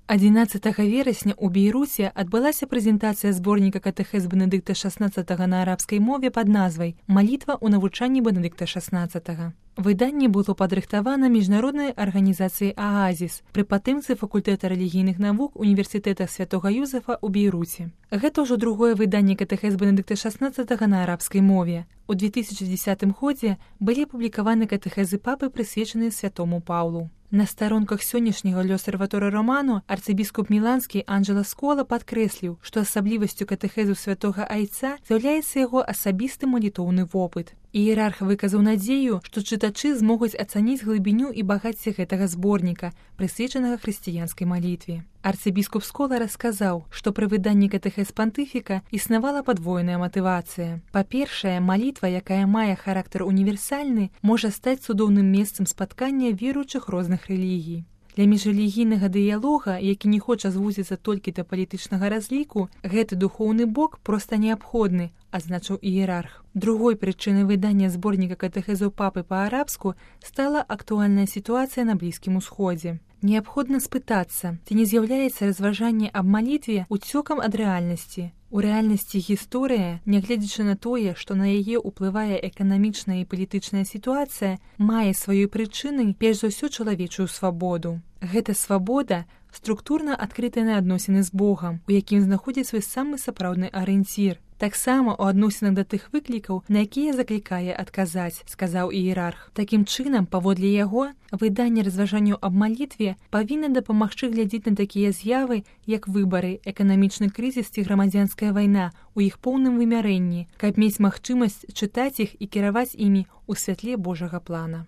11 верасня ў Бейруце адбылася прэзентацыя зборніка катэхез Бенедыкта XVI на арабскай мове пад назвай «Малітва ў навучанні Бенедыкта XVI». Выданне было падрыхтавана міжнароднай арганізацыяй «Аазіс» пры падтрымцы факультэта рэлігійных навук універсітэта Святога Юзефа ў Бейруце. Гэта ўжо другое выданне катэхез Бенедыкта XVI на арабскай мове. У 2010 годзе былі апублікаваны катэхезы папы, прысвечаныя святому Паўлу. На старонках сённяшняга L'Osservatore Romano арцыбіскуп міланскі Анджела Скола падкрэсліў, што асаблівасцю катэхезу святога Айца з'яўляецца яго асабісты малітоўны вопыт. Іерарх выказаў надзею, што чытачы змогуць ацаніць глыбіню і багацце гэтага зборніка, прысвечанага хрысціянскай малітве. Арцыбіскуп Скола расказаў, што пры выданні катэхез пантыфіка існавала падвойная матывацыя. Па-першае, малітва, якая мае характар універсальны, можа стаць цудоўным месцам спаткання веруючых розных рэлігій. Для міжрэлігійнага дыялога, які не хоча звузіцца толькі да палітычнага разліку, гэты духоўны бок проста неабходны, адзначыў іерарх. Другой прычынай выдання зборніка катэхезаў папы па-арабску стала актуальная сітуацыя на Блізкім Усходзе. Неабходна спытацца, ці не з'яўляецца разважанне аб малітве уцёкам ад рэальнасці. У рэальнасці гісторыя, нягледзячы на тое, што на яе ўплывае эканамічная і палітычная сітуацыя, мае сваёй прычынай перш за ўсё чалавечую свабоду. Гэта свабода структурна адкрытая на адносіны з Богам, у якім знаходзіць свой самы сапраўдны арыенцір. Таксама ў адносінах да тых выклікаў, на якія заклікае адказаць, сказаў іерарх. Такім чынам, паводле яго, выданне разважанняў аб малітве павінна дапамагчы глядзець на такія з'явы, як выбары, эканамічны крызіс ці грамадзянская вайна у іх поўным вымярэнні, каб мець магчымасць чытаць іх і кіраваць імі ў святле Божага плана.